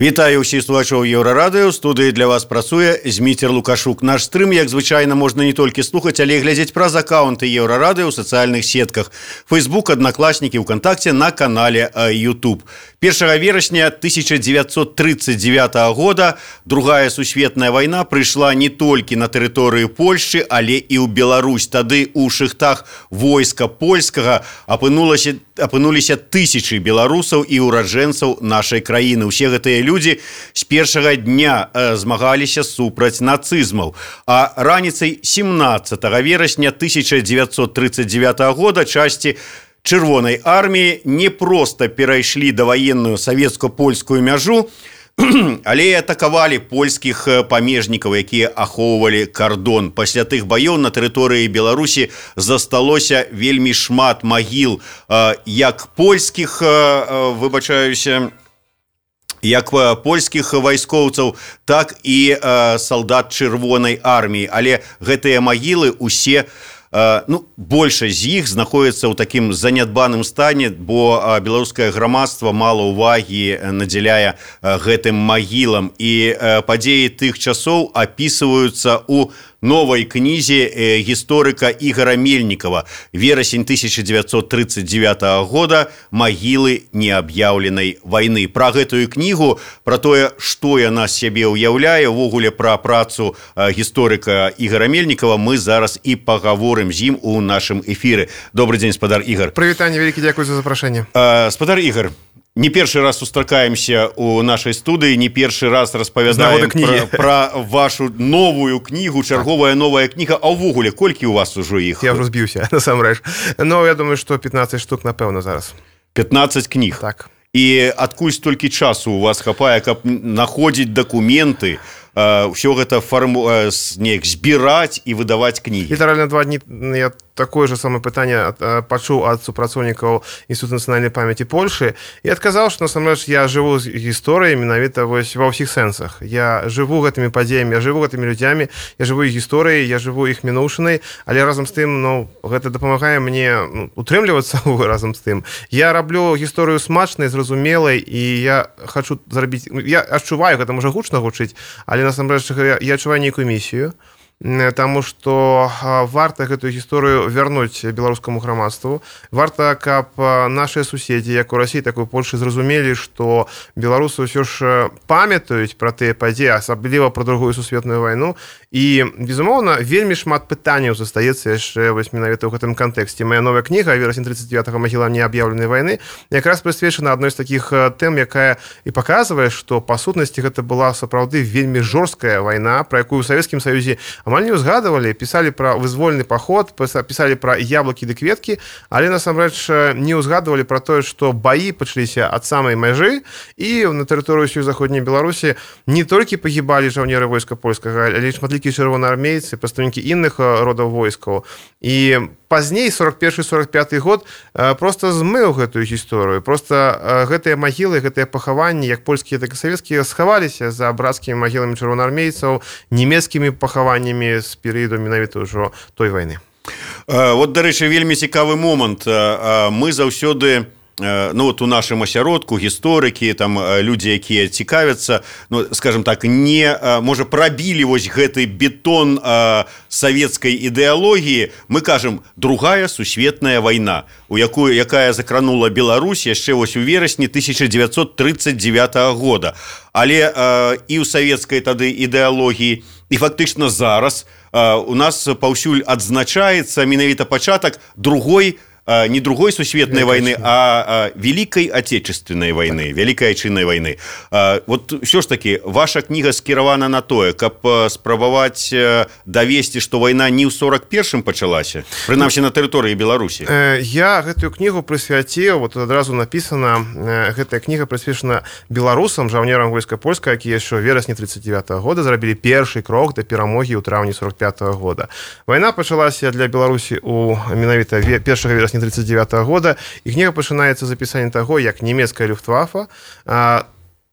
Вітаю ўсіх слухачоў Еўрарадыё. У студыі для вас працуе Зміцер Лукашук. Наш стрым, як звычайна, можна не толькі слухаць, але і глядзець праз акаунты Еўрарадыё ў сацыяльных сетках. Facebook, Аднакласнікі, ВКонтакце, на канале YouTube. 1 верасня 1939 года Другая сусветная вайна прыйшла не толькі на тэрыторыю Польшчы, але і ў Беларусь. Тады ў шыхтах войска польскага апынуліся тысячы беларусаў і ураджэнцаў нашай краіны. Усе гэтыя людзі з першага дня змагаліся супраць нацызмаў. А раніцай 17 верасня 1939 года часці Чырвонай арміі не проста перайшлі даваенную савецка-польскую мяжу, але і атакавалі польскіх памежнікаў, якія ахоўвалі кардон. Пасля тых баёў на тэрыторыі Беларусі засталося вельмі шмат магіл як польскіх, як польскіх вайскоўцаў, так і салдат Чырвонай арміі. Але гэтыя магілы усе, большасць з іх знаходзіцца ў такім занядбаным стане, бо беларускае грамадства мала ўвагі надзяляе гэтым магілам. І падзеі тых часоў апісваюцца ў новай кнізе гісторыка Ігора Мельнікава «Верасень 1939 года. Магілы неаб'яўленай вайны». Пра гэтую кнігу, пра тое, што яна з сябе ўяўляе, увогуле пра працу гісторыка Ігора Мельнікава мы зараз і пагаворым з ім у нашым эфіры. Добрый дзень, спадар Ігор. Прывітанне, вялікі дзякуй за запрашэнне. Спадар Ігор, не першы раз сустракаемся у нашай студыі, не першы раз распавядаем пра вашу новую кнігу, чарговая новая кніга. А ўвогуле, колькі у вас ужо іх? Я ўжо збіўся, насамрэч. Но я думаю, што 15 штук, напэўна, зараз. 15 кніг? Так. І адкуль столькі часу у вас хапае, каб находзіць дакументы, ўсё гэта неяк збіраць і выдаваць кнігі? Літаральна 2 дні я такое же самае пытанне пачуў ад супрацоўнікаў Інстытуту нацыянальнай памяці Польшы і адказаў, што насамрэч я жыву з гісторыяй менавіта вось ва ўсіх сэнсах. Я жыву гэтымі падзеямі, я жыву гэтымі людзямі, я жыву іх гісторыяй, я жыву іх мінуўшынай, але разам з тым, гэта дапамагае мне утрымлівацца разам з тым. Я раблю гісторыю смачнай, зразумелай, і я хачу зрабіць, я адчуваю, гэта можа гучна гучыць, але насамрэч я адчуваю нейкую місію, таму што варта гэтую гісторыю вярнуць беларускаму грамадству. Варта, каб нашыя суседзі, як у Расіі, так і ў Польшы, зразумелі, што беларусы ўсё ж памятаюць пра тыя падзеі, асабліва пра Другую сусветную вайну. І, безумоўна, вельмі шмат пытанняў застаецца яшчэ вось менавіта ў гэтым кантэксце. Мая новая кніга «Верасень 39-го. Магілам неаб'яўленай вайны» якраз прысвечана адной з такіх тэм, якая і паказвае, што па сутнасці гэта была сапраўды вельмі жорсткая вайна, пра якую ў Савецкім Саюзе амаль не ўзгадывалі, пісалі пра вызвольны паход, пісалі пра яблыкі ды кветкі, але насамрэч не ўзгадывалі пра тое, што баі пачаліся ад самай мяжы, і на тэрыторыі ўсёй заходняй Беларусі не толькі пагібалі жаўнеры войска польскага, але шматлікія чырвонаармейцы, прадстаўнікі іншых родаў войскаў. І пазней, 41-45 год, проста змыў гэтую гісторыю. Проста гэтыя магілы, гэтыя пахаванні, як польскія, так і савецкія, схаваліся за брацкімі магіламі чырвонаармейцаў, нямецкімі пахаваннямі з перыяду менавіта ўжо той вайны. Вот, дарэчы, вельмі цікавы момант. Мы заўсёды, у нашым асяродку гісторыкі, там людзі, якія цікавяцца, скажем так, не можа прабілі вось гэты бетон савецкай ідэалогіі, мы кажам Другая сусветная вайна, якая закранула Беларусь яшчэ вось у верасні 1939 года. Але і ў савецкай тады ідэалогіі, і фактычна зараз у нас паўсюль адзначаецца менавіта пачатак не Другой сусветнай вайны, а Великай Отечественной вайны, Великай Айчыннай вайны. Вот ўсё ж такі, ваша кніга скіравана на тое, каб спрабаваць давесці, што вайна не ў 41-м пачалася, прынамсі на тэрыторыі Беларусі. Я гэтую кнігу прысвяціў, вот адразу напісана, гэтая кніга прысвечана беларусам, жаўнерам войска польскага, якія яшчэ ў верасні 39 года зрабілі першы крок да перамогі ў траўні 45 года. Вайна пачалася для Беларусі у менавіта 1 верасня 1939 года, і кніга пачынаецца з апісання таго, як нямецкая люфтвафа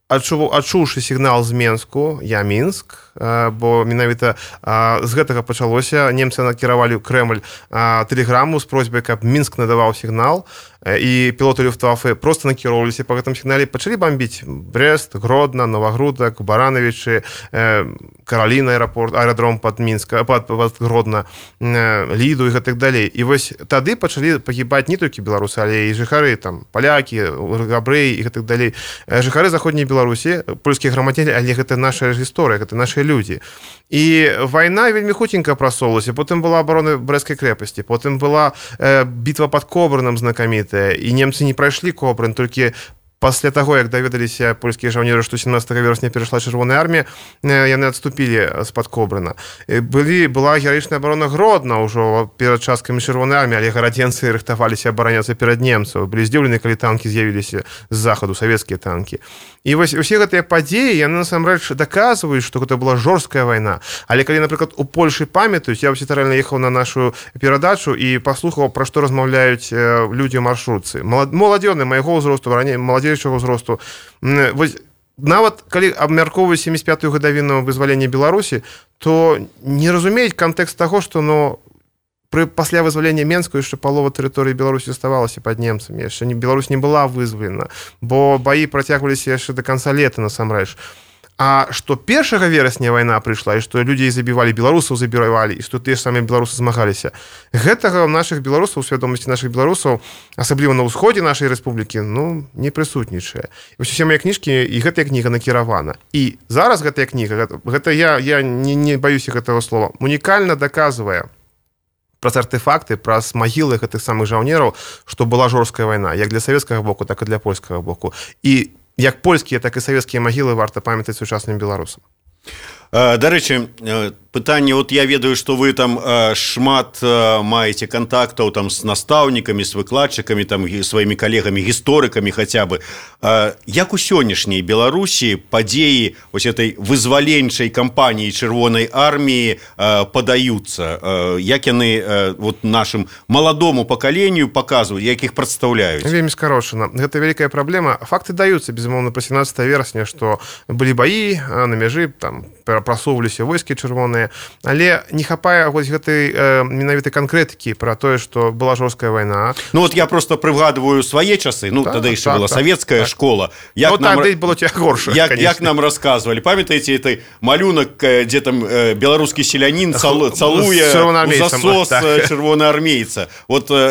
адчуўшы сігнал з Менску, я Мінск, бо менавіта з гэтага пачалося. Немцы накіравалі ў Крэмль тэлеграму з просьбай, каб Мінск надаваў сігнал, і пілоты Люфтваффе просто накіроўваліся па гэтым сігнале, пачалі бамбіць Брест, Гродна, Новагрудак, Баранавічы, Караліна аэрадром пад Гродна, Ліду і гэтак далей. І вось тады пачалі пагібаць не толькі беларусы, але і жыхары, там, палякі, габрэі і гэтак далей. Жыхары заходняй Беларусі, польскія грамадзяне, але гэта наша гісторыя, гэта нашы людзі. І вайна вельмі хутенька прасоўвалася. Потым была абарона Брэсцкай крэпасці, потым была бітва пад Кобрыном знакамітая, і немцы не прайшлі Кобрын, толькі пасля таго, як даведаліся польскія жаўнеры, што 17 верасня перайшла Чырвоная армія, яны адступілі з-пад Кобрына. Была гераічная абарона Гродна ўжо перад часткамі Чырвонай арміі, але гарадзенцы рыхтаваліся абараняцца перад немцаў. Былі здзіўлены, калі танкі з'явіліся з захаду, савецкія танкі. І вось усе гэтыя падзеі, яны насамрэч даказваюць, што гэта была жорсткая вайна. Але калі, напрыклад, у Польшы памятаюць, я літаральна ехаў на нашу перадачу і паслухаў, пра што размаўляюць людзі ў маршрутцы. Маладзёны майго ўзросту, раней маладзейшага ўзросту. Вось нават калі абмяркоўваюць 75-ю гадавіну вызвалення Беларусі, то не разумеюць кантэкст таго, што пасля вызвалення Менску яшчэ палова тэрыторыі Беларусі заставалася пад немцамі. Яшчэ Беларусь не была вызвалена, бо баі працягваліся яшчэ да канца лета насамрэч. А што 1 верасня вайна прыйшла, і што людзей забівалі, беларусаў забівалі, і што тыя ж самыя беларусы змагаліся, гэтага ў нашых беларусаў, у свядомасці нашых беларусаў, асабліва на ўсходзе нашай рэспублікі, не прысутнічае. І ўсе мае кніжкі, і гэтая кніга накіравана. І зараз гэтая кніга, гэта я не баюся гэтага слова, унікальна даказвае праз артефакты, праз магілы гэтых самых жаўнераў, што была жорсткая вайна, як для савецкага боку, так і для польскага боку. І як польскія, так і савецкія магілы варта памятаць сучасным беларусам. Дарэчы, пытанне, я ведаю, што вы там шмат маеце кантактаў там з настаўнікамі, з выкладчыкамі, там сваімі калегамі, гісторыкамі хаця бы. Як у сённяшняй Беларусі падзеі вось этой вызваленчай кампаніі Чырвонай арміі падаюцца? Як яны нашым маладому пакаленню паказваюць, як іх прадстаўляюць? Вельмі скарошана. Гэта вялікая праблема. Факты даюцца, безумоўна, па 17 верасня, што былі баі на мяжы, там прасоўваліся войскі чырвоныя, але не хапае гэтай менавіта канкрэтыкі пра тое, што была жорсткая вайна. Я просто прыгадваю свае часы, тады яшчэ была савецкая школа. Было горш. Як нам расказвалі, памятаеце этой малюнак, дзе там беларускі селянін цалуе у засос чырвонаармейца.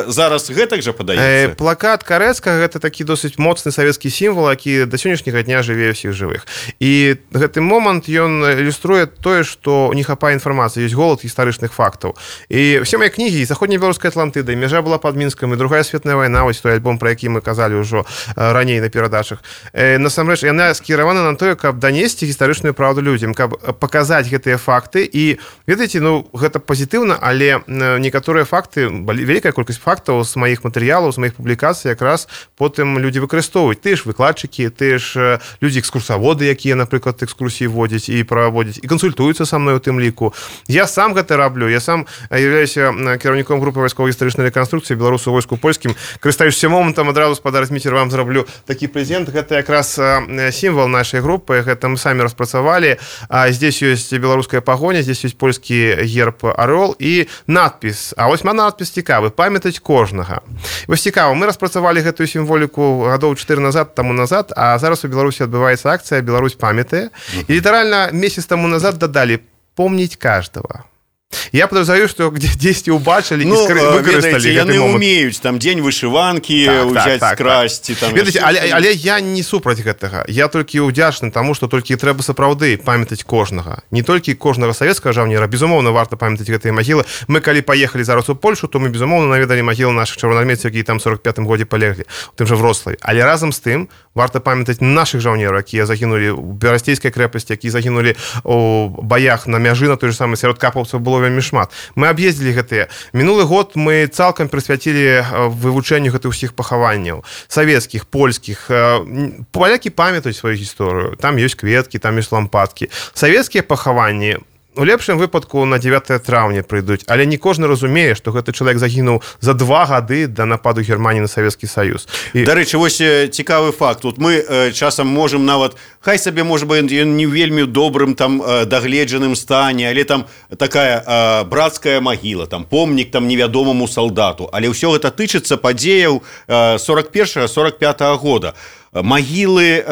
Зараз гэтак жа падаецца? Плакат Карэцкага — гэта такі досыць моцны савецкі сімвал, які да сённяшняга дня жыве ўсіх жывых. І гэты момант ён ілюструе тое, што не хапае інфармацыі, ёсць голад гістарычных фактаў. І ўсе мае кнігі, і заходняя беларуская Атлантыда, і мяжа была пад Мінскам, і другая светная вайна, вось той альбом, пра які мы казалі ўжо раней на перадачах. Насамрэч, яна скіравана на тое, каб данесці гістарычную праўду людзям, каб паказаць гэтыя факты. І, ведаеце, гэта пазітыўна, але некаторыя факты, вялікая колькасць фактаў з маіх матэрыялаў, з маіх публікацый якраз потым людзі выкарыстоўваюць. Тыя ж выкладчыкі, тыя ж людзі экскурсаводы, якія, напрыклад, экскурсіі водзяць і праводзяць, і кансультуюцца са мной у тым ліку. Я сам гэта раблю. Я сам являюся кіраўніком групы вайсково-гістарычнай рэканструкцыі беларусаў у войску польскім. Карыстаючыся момантам, адразу, спадар Зміцер, вам зраблю такі прэзент. Гэта якраз сімвал нашай групы. Гэта мы самі распрацавалі. Здесь ёсць беларуская пагоня, здесь ёсць польскі герб арол і надпіс. А вось надпіс цікавы: памятаць кожнага. Вось цікава, мы распрацавалі гэтую сімволіку гадоў 4 таму назад, а зараз у Беларусі адбываецца акцыя «Беларусь памятае». І літаральна месяц таму назад дадалі «помнить каждого». Я подозреваю, что где-то убачили и выкористали. Яны умеюць там дзень вышыванкі ўзяць, скрасці. Але я не супраць гэтага. Я толькі ўдзячны таму, што толькі трэба сапраўды памятаць кожнага. Не толькі кожнага савецкага жаўнера. Безумоўна, варта памятаць гэтыя магілы. Мы калі паехалі зараз у Польшу, то мы, безумоўна, наведалі магілы нашых чырвонаармейцаў, якія там 45-м годзе палеглі, у тым жа Вроцлаве. Але разам з тым варта памятаць нашых жаўнераў, якія загінулі ў Берасцейскай крэпасці, якія загінулі у баях на мяжы, на той же самый, сярод капаўцаў было вельмі шмат. Мы аб'ездзілі гэтыя. Мінулы год мы цалкам прысвяцілі вывучэнню гэтых усіх пахаванняў. Савецкіх, польскіх. Палякі памятаюць сваю гісторыю. Там ёсць кветкі, там ёсць лампадкі. Савецкія пахаванні, у лепшым выпадку на 9 траўня прыйдуць, але не кожны разумее, што гэты чалавек загінуў за 2 гады да нападу Германіі на Савецкі Саюз. Дарэчы, вось цікавы факт. Тут мы часам можам нават, хай сабе, можа быць, ён не вельмі добрым там дагледжаным стане, але там такая брацкая магіла, там помнік там невядомаму салдату, але ўсё гэта тычыцца падзеяў 41-45 года. Магілы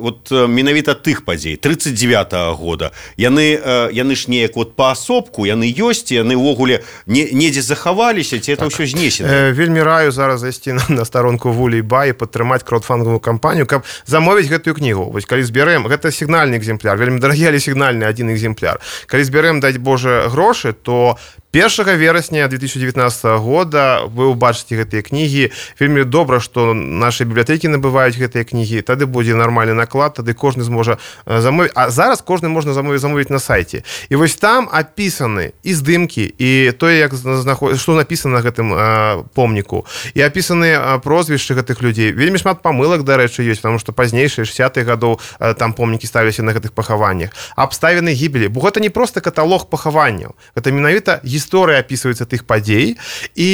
вот менавіта тых падзей 39-го года яны ж неяк вот паасобку яны ёсць, яны ўвогуле недзе захаваліся, ці это ўсё знесена. Вельмі раю зараз зайсці на старонку Вулей Ба і падтрымаць краудфандовую кампанію, каб замовіць гэтую кнігу. Вось калі збярэм, гэта сігнальны экземпляр, вельмі дарагі, але сігнальны адзін экземпляр. Калі збярэм, даць Божа, грошы, то 1 верасня 2019 года вы ўбачыце гэтыя кнігі. Вельмі добра, што нашы бібліятэкі набываюць гэтыя кнігі, тады будзе нармальны наклад, тады кожны зможа замовіць. А зараз кожны можна замовіць на сайце. І вось там апісаны і здымкі, і тое, як што напісана на гэтым помніку, і апісаны прозвішчы гэтых людзей. Вельмі шмат памылак, дарэчы, ёсць, потому што пазнейшыя 60-х гадоў там помнікі ставіліся на гэтых пахаваннях. Абставіны гібелі, бо гэта не проста каталог пахаванняў, гэта менавіта гісторыя апісваецца тых падзей, і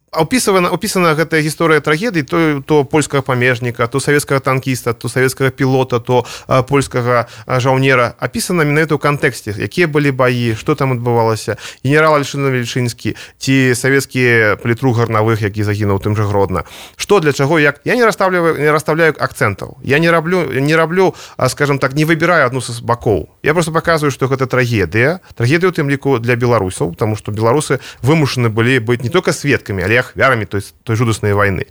опісана гэтая гісторыя трагедыі, то польскага памежніка, то савецкага танкіста, то савецкага пілота, то польскага жаўнера. Апісана менавіта ў кантэксце, якія былі баі, што там адбывалася. Генерал Альшына-Вельчынскі ці савецкі палітрук Гарнавых, які загінуў тым жа Гродна. Што, для чаго, як? Я не расставляю акцэнтаў. Я не раблю, скажем так, не выбіраю адну з бакоў. Я просто показываю, што гэта трагедыя ў тым ліку для беларусаў, потому што беларусы вымушаны былі быць не толькі сведкамі, але ахвярамі той жудаснай вайны.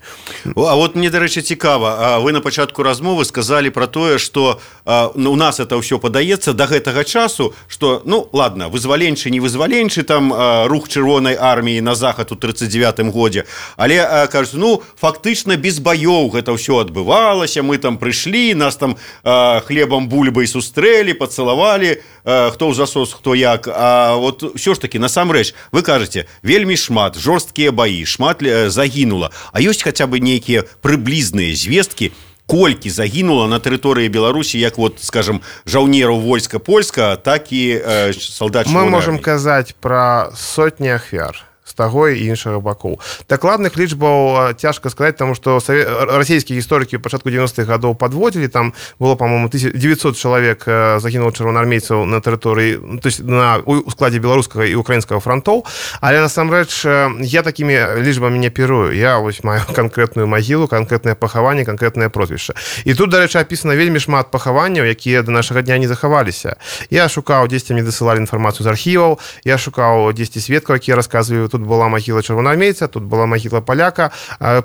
А вот мне, дарэчы, цікава, вы на пачатку размовы сказалі пра тое, што у нас это ўсё падаецца да гэтага часу, што, ну, ладно, вызваленчы, не вызваленчы, там рух чырвонай арміі на захад у 39-м годзе, але, кажуць, ну, фактычна без баёў гэта ўсё адбывалася, мы там прыйшлі, нас там хлебам бульбай сустрэлі, пацалавалі, хто ў засос, хто як. А вот ўсё ж такі, насамрэч, вы кажаце, вельмі шмат, жорсткія баі, шмат загінула. А ёсць хаця бы нейкія прыблізныя звесткі, колькі загінула на тэрыторыі Беларусі, як вот, скажем, жаўнераў войска польска, так і салдат чырвонай арміі? Мы можам казаць пра сотні ахвяр з таго і іншага бакоў. Дакладных лічбаў цяжка сказаць, таму што расійскія гісторыкі ў пачатку 90-х гадоў падводзілі, там было, па-моему, 900 чалавек загінула чырвонаармейцаў на тэрыторыі, то есть у складзе беларускага і украінскага фронтоў, але насамрэч я такімі лічбамі не аперую. Я вось маю канкрэтную магілу, канкрэтнае пахаванне, канкрэтнае прозвішча. І тут, дарэчы, апісана вельмі шмат пахаванняў, якія да нашага дня не захаваліся. Я шукаў, дзесьці мне дасылалі інфармацыю з архіваў, я шукаў дзесьці сведкаў, якія расказваюць. Тут была магіла чырвонаармейца, тут была магіла паляка,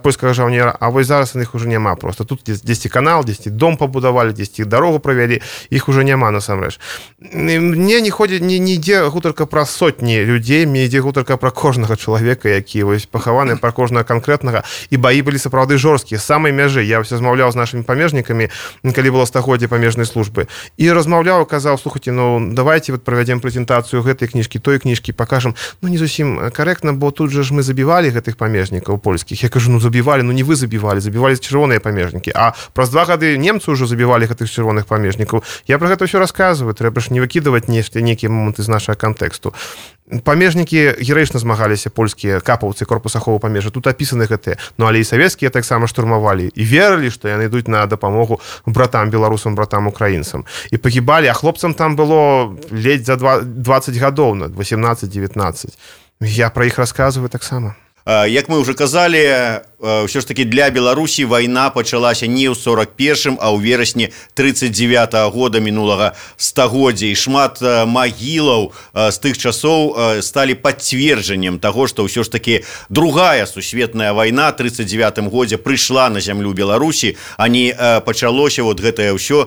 польскага жаўнера, а вось зараз іх уже няма просто. Тут дзесьці канал, дзесьці дом пабудавалі, дзесьці дарогу правялі, іх уже няма насамрэч. Мне не ідзе гутарка пра сотні людзей, мне ідзе гутарка пра кожнага чалавека, які вось пахаваны, пра кожнага канкрэтнага, і баі былі сапраўды жорсткія, з самай мяжы. Я ўсё размаўляў з нашымі памежнікамі, калі было стагоддзе памежнай службы, і размаўляў, казаў, слухайце, ну давайте вот правядзем прэзентацыю гэтай кніжкі, той кніжкі, пакажам, ну не зусім карэктна, бо тут же ж мы забівалі гэтых памежнікаў польскіх. Я кажу, ну забівалі, ну не вы забівалі чырвоныя памежнікі. А праз 2 гады немцы ўжо забівалі гэтых чырвоных памежнікаў. Я пра гэта ўсё расказваю, трэба ж не выкідаваць нейкія моманты з нашага кантэксту. Памежнікі гераічна змагаліся, польскія капаўцы корпуса аховы памежжа. Тут апісаны гэтыя. Ну але і савецкія таксама штурмавалі і верылі, што яны ідуць на дапамогу братам беларусам, братам украінцам. І пагібалі, а хлопцам там было ледзь за 20 гадоў, 18-19. Я пра іх расказваю таксама. Як мы ўжо казалі, ўсё ж такі для Беларусі вайна пачалася не ў 41-м, а ў верасні 39-го года мінулага стагоддзя. І шмат магілаў з тых часоў сталі пацверджаннем таго, што ўсё ж такі другая сусветная вайна ў 39-м годзе прыйшла на зямлю Беларусі, а не пачалося вот гэтае ўсё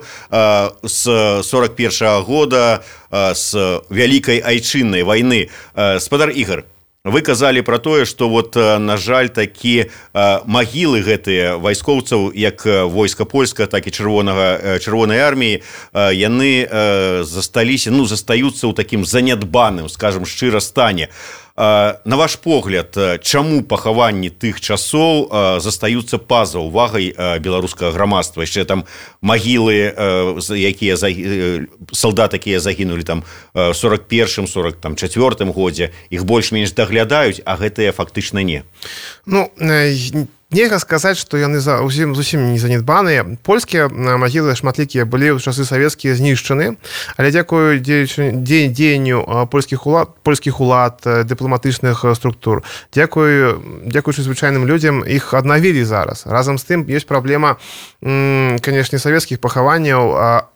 з 41-го года, з вялікай айчыннай вайны. Спадар Ігор, вы казалі пра тое, што вот, на жаль, такі магілы гэтыя вайскоўцаў, як войска польска, так і чырвонай арміі, яны застаюцца ў такім занядбаным, скажам, шчыра стане. На ваш погляд, чаму пахаванні тых часоў застаюцца па-за ўвагай беларускага грамадства? Яшчэ там магілы, якія салдаты, якія загінулі там 41-м, 44-м годзе, іх больш-менш даглядаюць, а гэтыя фактычна не. Ну, нельга сказаць, што яны зусім не занядбаныя. Польскія магілы шматлікія былі ў часы савецкія знішчаны, але дзякую дзеянню польскіх улад, дыпламатычных структур, дзякуючы звычайным людзям, іх аднавілі зараз. Разам з тым, ёсць праблема, канешне, савецкіх пахаванняў.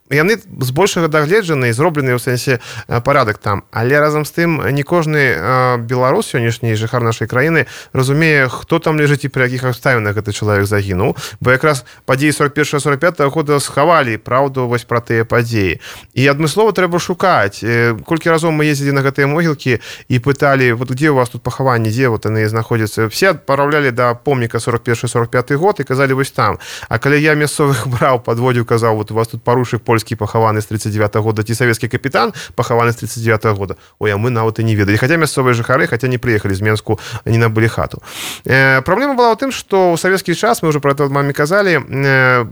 Яны збольшага дагледжаны і зроблены ў сэнсе парадак там. Але разам з тым не кожны беларус, сённяшні жыхар нашай краіны, разумее, хто там ляжыць і пры якіх абставінах гэты чалавек загінуў. Бо якраз падзеі 41-45 года схавалі праўду вось пра тыя падзеі. І адмыслова трэба шукаць. Колькі разоў мы ездзілі на гэтыя могілкі і пыталі, вот дзе у вас тут пахаванні, дзе вот яны знаходзяцца. Все адпраўлялі да помніка 41-45 год і казалі вось там. А калі я мясцовых браў, падводзіў, казаў, вот у вас тут парушык польскі пахаваны з 39-го года, ці савецкі капітан пахаваны з 39-го года. Ой, а мы нават і не ведалі. Хаця мясцовыя жыхары, хаця не прыехалі з Менску, не набылі хату. Праблема была ў тым, што ў савецкі час, мы ўжо пра гэта маме казалі,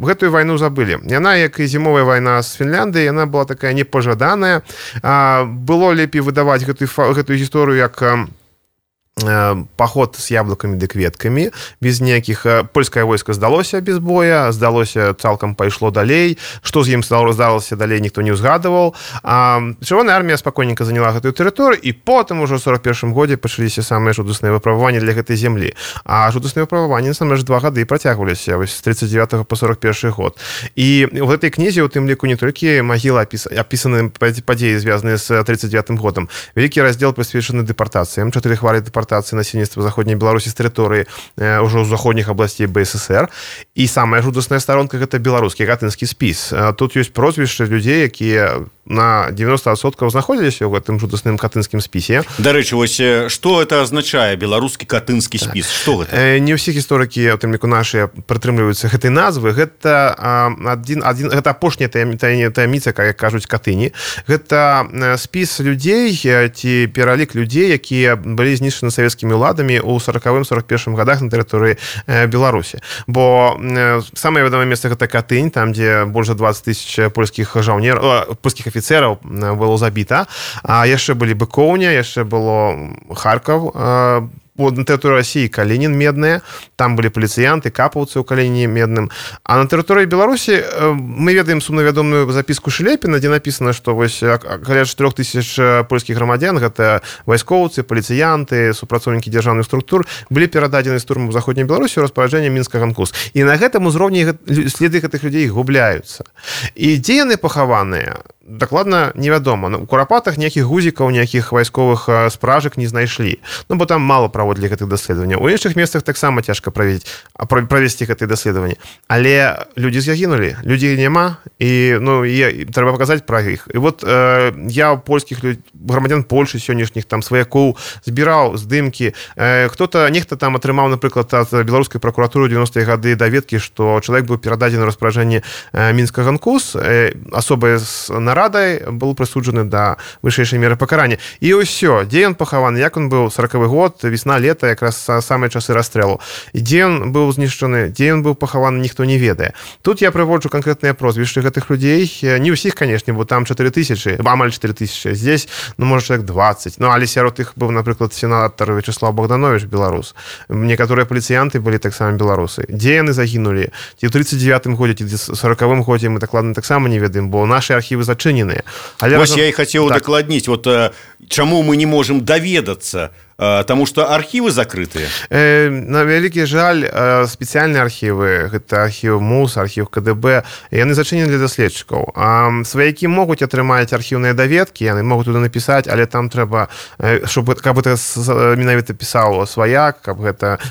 гэтую вайну забылі. Яна, як і зімовая вайна з Фінляндыі, яна была такая непажаданая. Было лепей выдаваць гэтую гісторыю як паход з яблыкамі ды кветкамі, без ніякіх... Польскае войска здалося без боя, здалося, цалкам пайшло далей. Што з ім здалося далей, ніхто не ўзгадываў. Чырвоная армія спакойненька заняла гэтую тэрыторыю, і потым ужо ў 41-м годзе пачаліся самыя жудасныя выпрабаванні для гэтай зямлі. А жудасныя выпрабаванні, насамрэч, 2 гады працягваліся, вось з 39 по 41 год. І ў гэтай кнізе, у тым ліку, не толькі магілы апісаны падзеі, звязаныя з 39-м годам. Вялікі раздзел прысвечаны дэпартацыям, 4 хвалі дэпартацыі насельніцтва заходняй Беларусі з тэрыторыі ўжо з заходніх абласцей БССР. І самая жудасная старонка — гэта беларускі катынскі спіс. Тут ёсць прозвішчы людзей, якія на 90% знаходзіліся ў гэтым жудасным катынскім спісе. Дарэчы, вось што гэта азначае, беларускі катынскі спіс? Што гэта? Не ўсе гісторыкі, у тым ліку нашыя, прытрымліваюцца гэтай назвы. Гэта гэта апошняя таямніца, як кажуць катыні. Гэта спіс людзей ці пералік людзей, якія былі знішчаны савецкімі ўладамі ў 40-41 годах на тэрыторыі Беларусі. Бо самае вядомае месца — гэта Катынь, там, дзе больш за 20 000 польскіх афіцераў было забіта. А яшчэ былі Быкоўня, яшчэ было Харкаў, на тэрыторыі Расіі Калінін Медная, там былі паліцыянты, капаўцы ў Каліні Медным. А на тэрыторыі Беларусі мы ведаем сумнавядомую запіску Шылепіна, дзе напісана, што вось каля 4000 польскіх грамадзян, гэта вайскоўцы, паліцыянты, супрацоўнікі дзяржаўных структур, былі перададзены з турмы ў заходняй Беларусі ў распараджэнне Мінска-Ганкус. І на гэтым узроўні следы гэтых людзей губляюцца. І дзе яны пахаваныя? Дакладна невядома. У Курапатах ніякіх гузікаў, ніякіх вайсковых спражак не знайшлі. Ну, бо там мала праводзілі гэтых даследаванняў. У іншых месцах таксама цяжка правесці гэтыя даследаванні. Але людзі загінулі, людзей няма, і трэба паказаць пра іх. І вот я ў польскіх грамадзян Польшы сённяшніх, там, сваякоў збіраў здымкі. Нехта там атрымаў, напрыклад, ад беларускай пракуратуры 90-е гады даведкі, што чалавек быў перададзены ў распараджэнне Мінска-Ганкус, асобай з нарадай был прысуджаны да вышэйшай меры пакарання. І ўсё, дзе ён пахаваны, як он быў, 40-й год, весна, лета, якраз самыя часы расстрэлу. Дзе ён быў знішчаны, дзе ён быў пахаваны, ніхто не ведае. Тут я прыводжу канкрэтныя прозвішчы гэтых людзей. Не ўсіх, канешне, бо там 4000, амаль 4000. Здесь, можа, чалавек 20. Але сярод іх быў, напрыклад, сенатар Вячеслав Богданович, беларус. Некаторыя паліцыянты былі таксама беларусы. Дзе яны загінулі? Ці ў 39-м годзе, ці ў 40-м годзе мы дакладна таксама не ведаем, бо нашы архівы зачыненыя. Вось я і хацеў удакладніць, вот чаму мы не можам даведацца, Таму што архівы закрытыя. На вялікі жаль, спецыяльныя архівы, гэта архіў МУС, архіў КДБ, яны зачынены для даследчыкаў. Сваякі могуць атрымаць архіўныя даведкі, яны могуць туды напісаць, але там трэба, каб гэта менавіта пісаў сваяк, каб гэта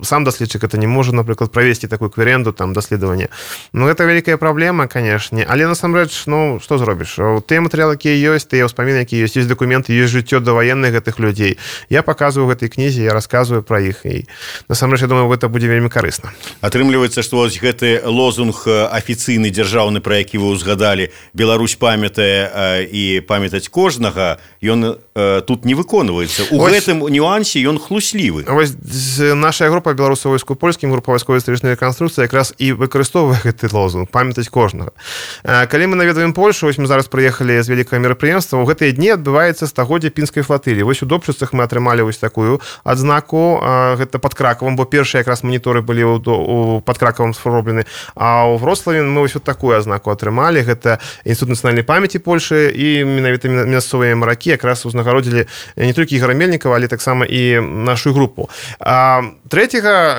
сам даследчык это не можа, напрыклад, правесці такую кверенду, там даследаванне. Гэта вялікая праблема, канешне, але насамрэч, што зробіш? Тыя матэрыялы, якія ёсць, тыя ўспаміны, якія ёсць дакументы, ёсць жыццё даваенных гэтых людзей. Я паказваю ў гэтай кнізе, я расказваю пра іх, і насамрэч, я думаю, гэта будзе вельмі карысна. Атрымліваецца, што вось гэты лозунг афіцыйны дзяржаўны, пра які вы ўзгадалі, Беларусь памятае і памятаць кожнага, ён тут не выконваецца. У гэтым нюансе ён хлуслівы. Вось наша група беларусаў войску польскім, група вайсковай гістарычнай рэканструкцыі якраз і выкарыстоўвае гэты лозунг памятаць кожнага. Калі мы наведваем Польшу, вось мы зараз прыехалі з вялікага мерапрыемства, у гэтыя дні адбываецца стагоддзе пінскай флатылі. Вось у Добчыцах мы атрымалі вось такую адзнаку, гэта пад Кракавам, бо першыя якраз маніторы былі пад Кракавам зроблены, а ў Вроцлаве мы вось такую адзнаку атрымалі. Гэта Інстытут нацыянальнай памяці Польшы, і менавіта мясцовыя маракі якраз узнагародзілі не толькі Ігора Мельнікава, але таксама і нашу групу. 3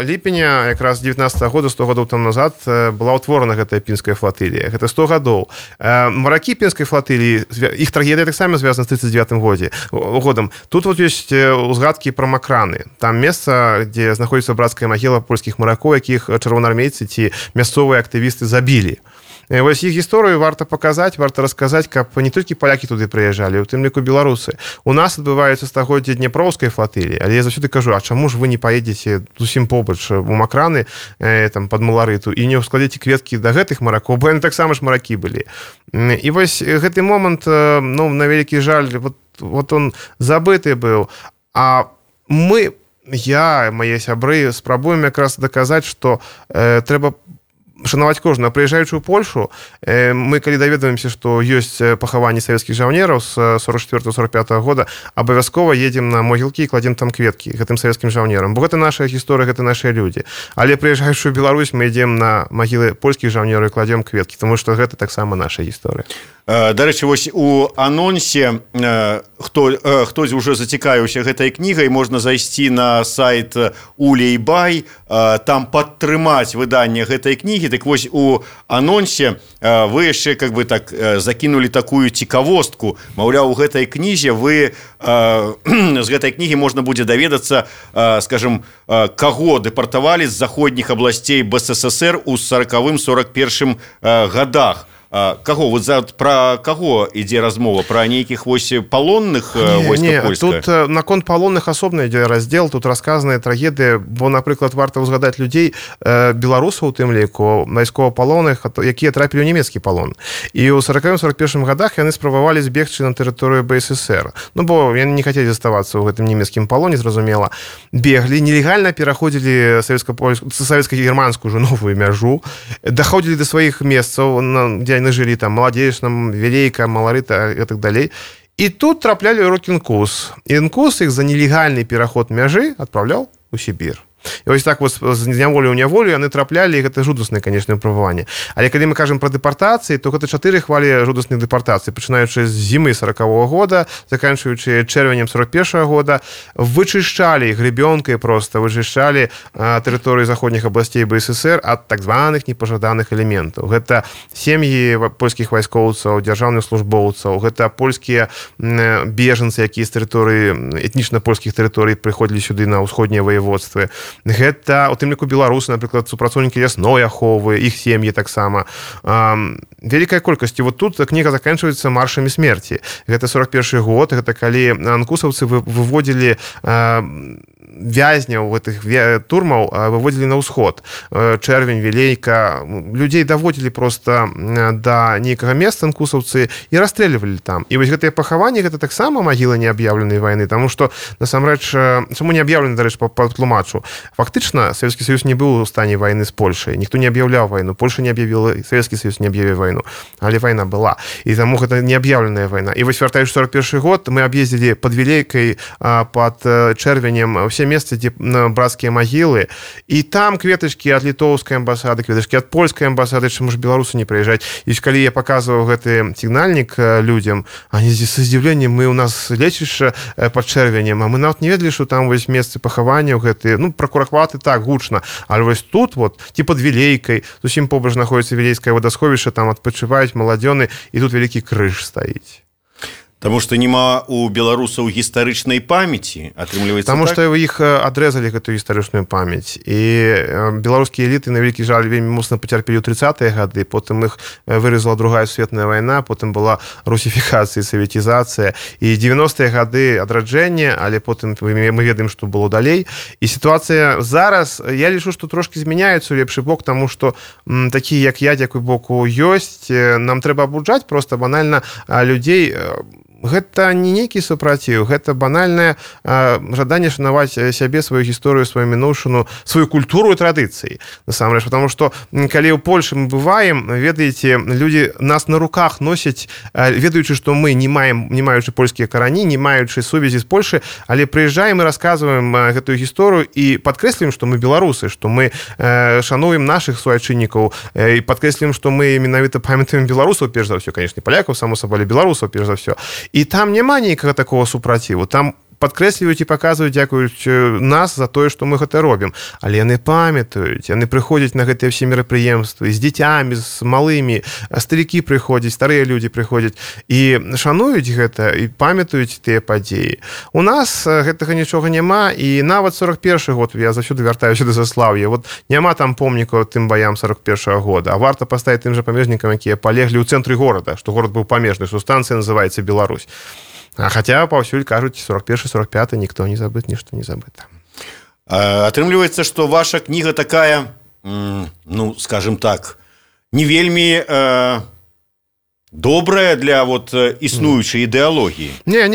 ліпеня якраз 19-го года, 100 гадоў там назад, была ўтворана гэтая пінская флатылія. Гэта 100 гадоў. Маракі пінскай флатыліі, іх трагедыя таксама звязана з 39 годам. Тут вот ёсць узгадкі пра Макраны. Там месца, дзе знаходзіцца брацкая магіла польскіх маракоў, якіх чырвонаармейцы ці мясцовыя актывісты забілі. Вось іх гісторыю варта паказаць, варта расказаць, каб не толькі палякі туды прыязджалі, у тым ліку беларусы. У нас адбываецца стагоддзе Дняпроўскай флатыліі, але я заўсёды кажу, а чаму ж вы не паедзеце зусім побач у Макраны, там, пад Маларыту, і не ўскладзеце кветкі да гэтых маракоў, бо яны таксама ж маракі былі. І вось гэты момант, ну, на вялікі жаль, вот он забыты быў, а мы, я, мае сябры, спрабуем якраз даказаць, што трэба шанаваць кожнага. Прыязджаючы ў Польшу, мы калі даведваемся, што ёсць пахаванні савецкіх жаўнераў з 44-45 года, абавязкова едзем на могілкі і кладзем там кветкі гэтым савецкім жаўнерам, бо гэта наша гісторыя, гэта нашыя людзі. Але прыязджаючы ў Беларусь, мы ідзем на магілы польскіх жаўнераў і кладзем кветкі, тому што гэта таксама наша гісторыя. Дарэчы, вось у анонсе хтось уже зацікавіўся гэтай кнігай, можна зайсці на сайт Улей-Бай, там падтрымаць выданне гэтай кнігі. Так вось у анонсе вы яшчэ как бы так закінулі такую цікавостку, маўляў, у гэтай кнізе вы з гэтай кнігі можна будзе даведацца, скажем, каго дэпартавалі з заходніх абласцей БССР у 40-41 годах. Каго? Вот пра каго ідзе размова? Пра нейкіх вось палонных войска польскага? Тут наконт палонных асобна ідзе раздзел, тут расказаныя трагедыі, бо, напрыклад, варта ўзгадаць людзей, беларусаў у тым ліку, вайсковапалонных, якія трапілі ў нямецкі палон. І ў 40-41 годах яны спрабавалі збегчы на тэрыторыю БССР. Ну, бо яны не хацелі заставацца ў гэтым нямецкім палоне, зразумела. Беглі, нелегальна пераходзілі савецка-германскую ўжо новую мяжу, даходзілі да сваіх месцаў, дзе жили там Молодечном, Велейка, Маларыта и так далее. И тут трапляли руки НКУС. И НКУС их за нелегальный переход мяжи отправлял у Сибирь. І вось так вот з няволі ў няволю яны траплялі, і гэта жудаснае, канечне, выпрабаванне. Але калі мы кажам пра дэпартацыі, то гэта 4 хвалі жудасных дэпартацый, пачынаючы з зімы 40-го года, заканчваючы чэрвенем 41-го года, вычышчалі гребёнкай проста, вычышчалі тэрыторыі заходніх абласцей БССР ад так званых непажаданых элементаў. Гэта сем'і польскіх вайскоўцаў, дзяржаўных службоўцаў, гэта польскія бежанцы, якія з тэрыторыі этнічна польскіх тэрыторый прыходзілі сюды на ўсходнія ваеводствы. Гэта, у тым ліку, беларусы, напрыклад, супрацоўнікі лясной аховы, іх сем'і таксама. Вялікая колькасць. Вот тут кніга заканчваецца маршамі смерці. Гэта 41 год, гэта калі анкусаўцы выводзілі вязняў гэтых турмаў, выводзілі на ўсход. Чэрвень, Велейка. Людзей даводзілі проста да нейкага месца анкусаўцы і расстрэльвалі там. І вось гэтыя пахаванні, гэта таксама магіла неаб'яўленай вайны, таму што, насамрэч, чаму не аб'яўлены, дарэчы, патлумачу? Фактычна, Савецкі Саюз не быў у стане вайны з Польшай. Ніхто не аб'яўляў вайну. Польша не аб'явіла, Савецкі Саюз не аб'явіў вайну. Але вайна была. І таму гэта неаб'яўленая вайна. І вось, вяртаючы 41 год, мы аб'ездзілі пад Велейкай, пад Чэрвенем, усе месцы, дзе брацкія магілы. І там кветачкі ад літоўскай амбасады, кветачкі ад польскай амбасады, чаму ж беларусы не прыязджаць. І калі я паказваў гэты сігнальнік людзям, они з здзіўленнем, мы у нас лечышча пад Чэрвенем, а мы нават не ведалі, што там вось месцы пахаванняў гэтыя, ну, пра Курахваты так гучна, але вось тут вот, ці пад Велейкай, зусім побач знаходзіцца Велейскае вадасховішча, там адпачываюць маладзёны, і тут вялікі крыж стаіць. Таму што няма у беларусаў гістарычнай памяці, атрымліваецца Таму так? што іх адрэзалі гэтую гістарычную памяць. І беларускія эліты, на вялікі жаль, вельмі моцна пацярпелі ў 30-е гады, потым іх выразала другая сусветная вайна, потым была русіфікацыя, савецізацыя, і 90-е гады адраджэнне, але потым мы ведаем, што было далей. І сітуацыя зараз, я лічу, што трошкі змяняецца ў лепшы бок, таму што такія, як я, дзякуй боку, ёсць. Нам трэба абуджаць проста банальна людзей. Гэта не нейкі супраціў, гэта банальнае жаданне шанаваць сябе, сваю гісторыю, сваю мінуўшчыну, сваю культуру і традыцыі. Насамрэч, потому што калі ў Польшы мы бываем, ведаеце, людзі нас на руках носяць, ведаючы, што мы не маючы польскія карані, не маючы сувязі з Польшы, але прыязджаем і расказваем гэтую гісторыю і падкрэсліваем, што мы беларусы, што мы шануем нашых суайчыннікаў і падкрэсліваем, што мы менавіта памятаем беларусаў, перш за ўсё, канешне, палякаў, само сабой, беларусаў, перш за ўсё. І там няма ніякага такого супраціву. Там падкрэсліваюць і паказваюць, дзякуюць нас за тое, што мы гэта робім. Але яны памятаюць, яны прыходзяць на гэтыя ўсе мерапрыемствы з дзіцямі, з малымі, старыкі прыходзяць, старыя людзі прыходзяць і шануюць гэта і памятаюць тыя падзеі. У нас гэтага нічога няма, і нават 41-й год, я заўсёды вяртаюся да Заслаўя, вот няма там помнікаў тым баям 41-го года, а варта паставіць тым жа памежнікам, якія палеглі ў цэнтры горада, што горад быў памежны, што станцыя называецца Беларусь. А хаця паўсюль кажуць 41-45, ніхто не забыт, нішто не забыта. Атрымліваецца, што ваша кніга такая, ну, скажем так, не вельмі добрая для вот існуючай ідэалогіі. Не,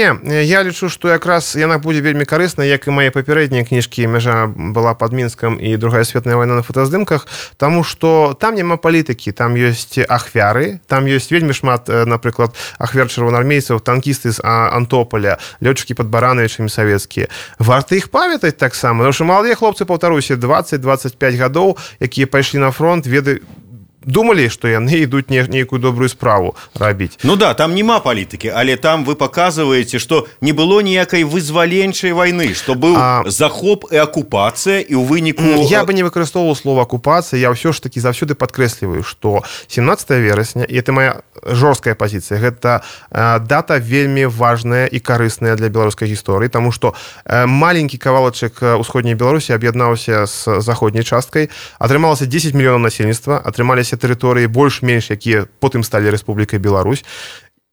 я лічу, што якраз яна будзе вельмі карысна, як і мае папярэднія кніжкі «Мяжа была пад Мінскам» і «Другая светная вайна на фотаздымках», таму што там няма палітыкі, там ёсць ахвяры, там ёсць вельмі шмат, напрыклад, ахвяр чырвонаармейцаў, танкісты з Антополя, лётчыкі пад Баранавічамі савецкія. Варта іх памятаць таксама, тому што маладыя хлопцы, паўтаруся, 20-25 гадоў, якія пайшлі на фронт, думалі, што яны ідуць нейкую добрую справу рабіць. Ну да, там няма палітыкі, але там вы паказваеце, што не было ніякай вызваленчай вайны, што быў захоп і акупацыя, і ў выніку... Я бы не выкарыстоўваў слова акупацыя, я ўсё ж такі заўсёды падкрэсліваю, што 17 верасня, і это моя жорсткая пазіцыя, гэта дата вельмі важная і карысная для беларускай гісторыі, таму што маленькі кавалачак усходняй Беларусі аб'яднаўся з заходняй часткай, атрымалася 10 мільёнаў насельніцтва, атрымаліся тэрыторыі больш-менш, якія потым сталі Рэспублікай Беларусь.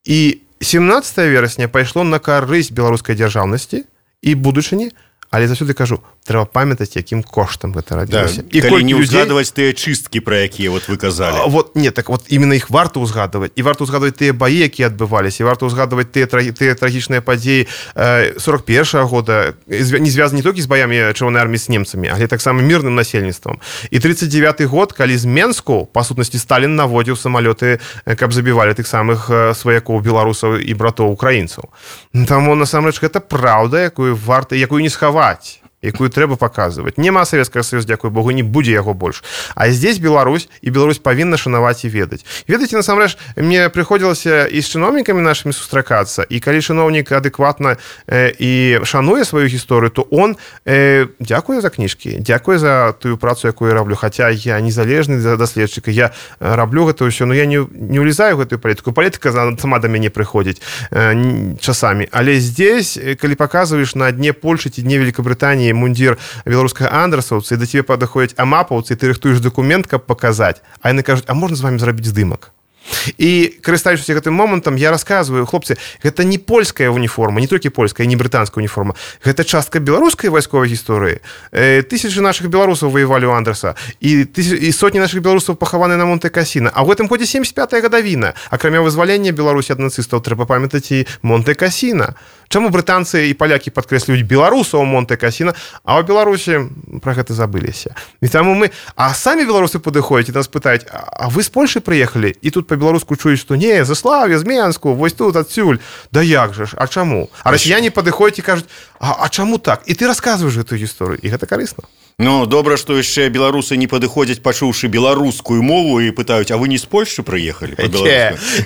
І 17 верасня пайшло на карысць беларускай дзяржаўнасці і будучыні, але заўсёды кажу, трэба памятаць, якім коштам гэта рабілася. Да, і калі не ўзгадваць тыя чысткі, пра якія вот вы казалі. Вот, не, так вот именно іх варта ўзгадваць. І варта ўзгадваць тыя баі, якія адбываліся, і варта ўзгадваць тыя трагічныя падзеі 41-го года, не звязаны не толькі з баямі Чырвонай арміі з немцамі, але таксама мірным насельніцтвам. І 39-й год, калі з Менску, па сутнасці, Сталін наводзіў самалёты, каб забівалі тых самых сваякоў беларусаў і братоў украінцаў. Таму, насамрэч, гэта праўда, якую не схаваць, якую трэба паказваць. Няма Савецкага Саюза, дзякуй Богу, не будзе яго больш. А здесь Беларусь, і Беларусь павінна шанаваць і ведаць. Ведаеце, насамрэч, мне прыходзілася і з чыноўнікамі нашымі сустракацца, і калі чыноўнік адэкватна і шануе сваю гісторыю, то он дзякуе за кніжкі, дзякуе за тую працу, якую я раблю. Хаця я незалежны даследчык, я раблю гэта ўсё, но я не ўлезаю гэтую палітыку. Палітыка сама да мяне прыходзіць часамі. Але здесь, калі паказваеш на дне Польшы ці дне Великабрытаніі мундзір беларускага андрасаўца, і да цябе падыходзяць амапаўцы, і ты рыхтуеш дакумент, каб паказаць. А яны кажуць, а можна з вамі зрабіць здымак? І, карыстаючыся гэтым момантам, я расказваю, хлопцы, гэта не польская уніформа, не толькі польская, не брытанская уніформа. Гэта частка беларускай вайсковай гісторыі. Тысячы нашых беларусаў ваявалі ў Андраса, і сотні нашых беларусаў пахаваны на Монте-Касіна. А ў гэтым годзе 75-я гадавіна. Акрамя вызвалення Беларусі ад нацыстаў, трэба памятаць і Монте-Касіна. Чаму брытанцы і палякі падкрэслююць беларусаў Монте-Касіна, а ў Беларусі пра гэта забыліся. І таму а самі беларусы падыходзяць і нас пытаюць, а вы з Польшы прыехалі? І тут по-беларуску чуюць, што не, Заслаўе, з Менску, вось тут, адсюль. Да як жа ж, а чаму? А расіяне падыходзяць і кажуць, а чаму так? І ты расказваеш гэтую гісторыю, і гэта карысна. Ну, добра, што яшчэ беларусы не падыходзяць, пачуўшы беларускую мову і пытаюць, а вы не з Польшчы прыехалі?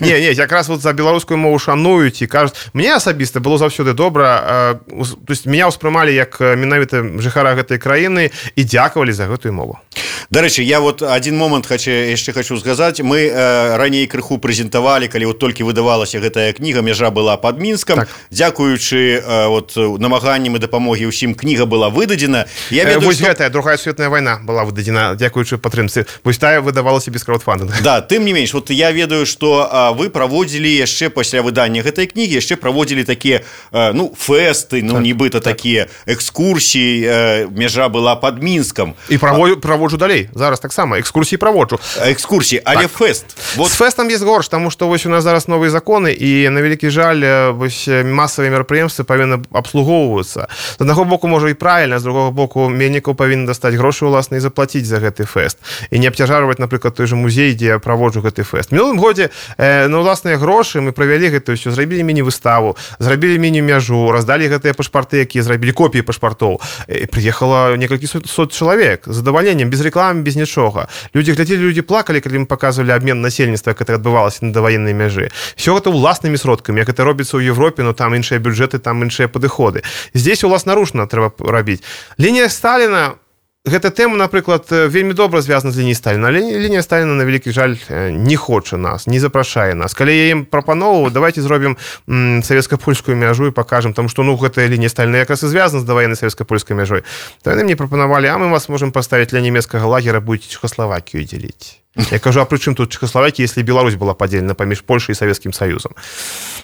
Не, якраз вот за беларускую мову шануюць і кажуць, мне асабіста было заўсёды добра, то есть меня ўспрымалі як менавіта жыхара гэтай краіны і дзякавалі за гэтую мову. Дарэчы, я вот один момант яшчэ хочу сказаць. Мы раней крыху прэзентавалі, калі вот толькі выдавалася гэтая кніга «Мяжа была под Мінскам». Так. Дзякуючы вот намаганням і дапамогі ўсім, кніга была выдадзена. Я ведаю, что... Другая светная война была выдадзена дзякуючы падтрымцы. Вось тая выдавалася без краудфандинга. Да, тым не менш, вот я ведаю, што вы праводзілі яшчэ пасля выдання гэтай кнігі, яшчэ праводзілі такія, фэсты, нібыта такія экскурсіі, «Мяжа была под Мінскам». І праводжу далей. Зараз таксама экскурсіі праводжу. Экскурсіі, але так. Фэст. Вот. З фэстам есть горш, таму што вось у нас зараз новыя законы, і на вялікі жаль, вось масавыя мерапрыемствы павінны абслугоўвацца. З аднаго боку, можа і правільна, з другога боку, меннікаў павінны дастаць грошы ўласна і заплаціць за гэты фэст. І не абцяжарваць, напрыклад, той жа музей, дзе я праводжу гэты фэст. Мінулым годзе на ўласныя грошы мы правялі гэта ўсё, зрабілі міні-выставу, зрабілі міні-мяжу, раздалі гэтыя пашпарты, якія зрабілі копіі пашпартоў. Прыехала некалькі сот чалавек з задавальненнем, без рекламы, без нічога. Людзі глядзелі, людзі плакалі, калі мы паказвалі абмен насельніцтва, як гэта адбывалася на даваеннай мяжы. Все гэта ўласнымі сродкамі, як это робіцца ў Европе, но там іншыя бюджэты, там іншыя падыходы. Здесь уласнаручна трэба рабіць. Лінія Сталіна, гэта тэма, напрыклад, вельмі добра звязана з лініяй Сталіна, але лінія Сталіна, на вялікі жаль, не хоча нас, не запрашае нас. Калі я ім прапановаў, давайте зробім савецка-польскую мяжу і пакажам, таму што, гэтая лінія Сталіна якраз і звязана з даваеннай савецка-польскай мяжой. То яны мне прапанавалі, а мы вас можам паставіць ля нямецкага лагера, будете Чехословакію дзеліць. Я кажу, а пры чым тут Чехословакія, если Беларусь была падзелена паміж Польшай і Савецкім Саюзам?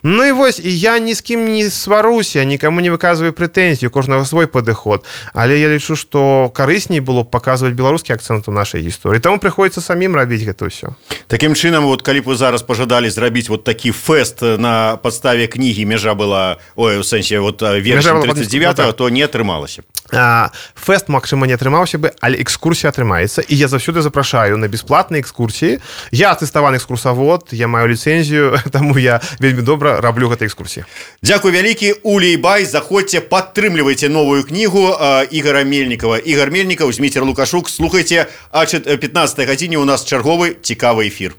Ну і вось, я ні з кім не сваруся, нікому не выказваю прэтэнзій, у кожнага свой падыход, але я лічу, што карысней было б паказваць беларускі акцэнт у нашай гісторыі, таму прыходзіцца самім рабіць гэта ўсё. Такім чынам, вот калі б вы зараз пажадалі зрабіць вот такі фэст на падставе кнігі «Мяжа была», у сэнсе вот вершам 39-го, то не атрымалася. Фэст, магчыма, не атрымаўся бы, але экскурсія атрымаецца, і я заўсёды запрашаю на бясплатныя экскурсіі. Я атэставаны экскурсавод, я маю ліцэнзію, таму я вельмі добра раблю гэтай экскурсіі. Дзякуй вялікі, Улей Бай, заходзьце, падтрымлівайце новую кнігу Ігора Мельнікава. Ігор Мельнікаў, Зміцер Лукашук, слухайце, а 15 гадзіне у нас чарговы цікавы эфір.